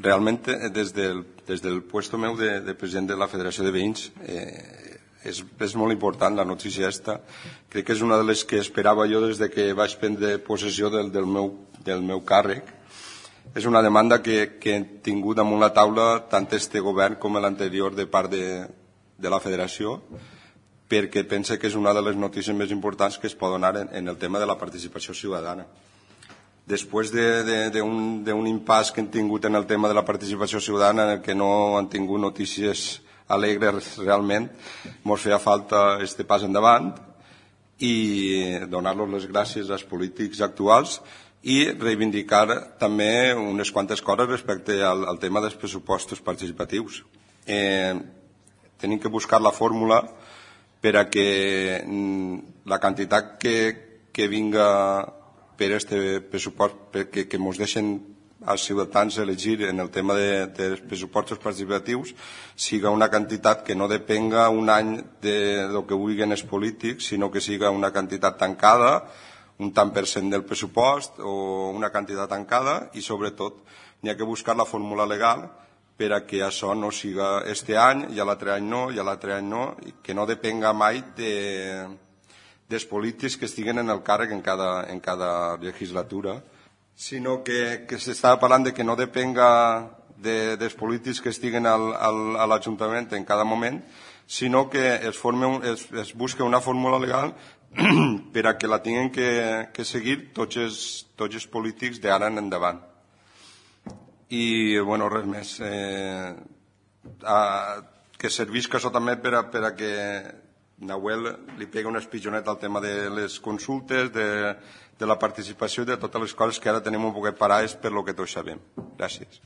realment des del puesto meu de president de la Federació de Veïns és molt important la notícia aquesta. Crec que és una de les que esperava jo des que vaig prendre possessió del meu càrrec. És una demanda que he tingut damunt la taula tant este govern com l'anterior de part de la Federació, perquè pense que és una de les notícies més importants que es pot donar en el tema de la participació ciutadana. Després d'un impàs que hem tingut en el tema de la participació ciutadana, en el que no han tingut notícies alegres realment, ens feia falta este pas endavant i donar-los les gràcies als polítics actuals i reivindicar també unes quantes coses respecte al tema dels pressupostos participatius. Tenim que buscar la fórmula per a que la quantitat que vinga per este pressupost, que ens deixen als ciutadans elegir en el tema dels pressupostos participatius, siga una quantitat que no depenga un any del que vulguin els polítics, sinó que siga una quantitat tancada, un tant per cent del pressupost o una quantitat tancada, i sobretot n'hi ha que buscar la fórmula legal per a que això no siga este any, i l'altre any no, i l'altre any no, i que no depenga mai dels polítics que estiguen en el càrrec en cada legislatura, sinó que s'estava parlant de que no depenga dels polítics que estiguen a l'Ajuntament en cada moment, sinó que es busca una fórmula legal per a que la tinguin que seguir tots els polítics d'ara en endavant. I, bueno, res més. Que servisca això també per a que Nahuel li pega una espitjoneta al tema de les consultes, de la participació i de totes les coses que ara tenim un poquet parades per lo que tots sabem. Gràcies.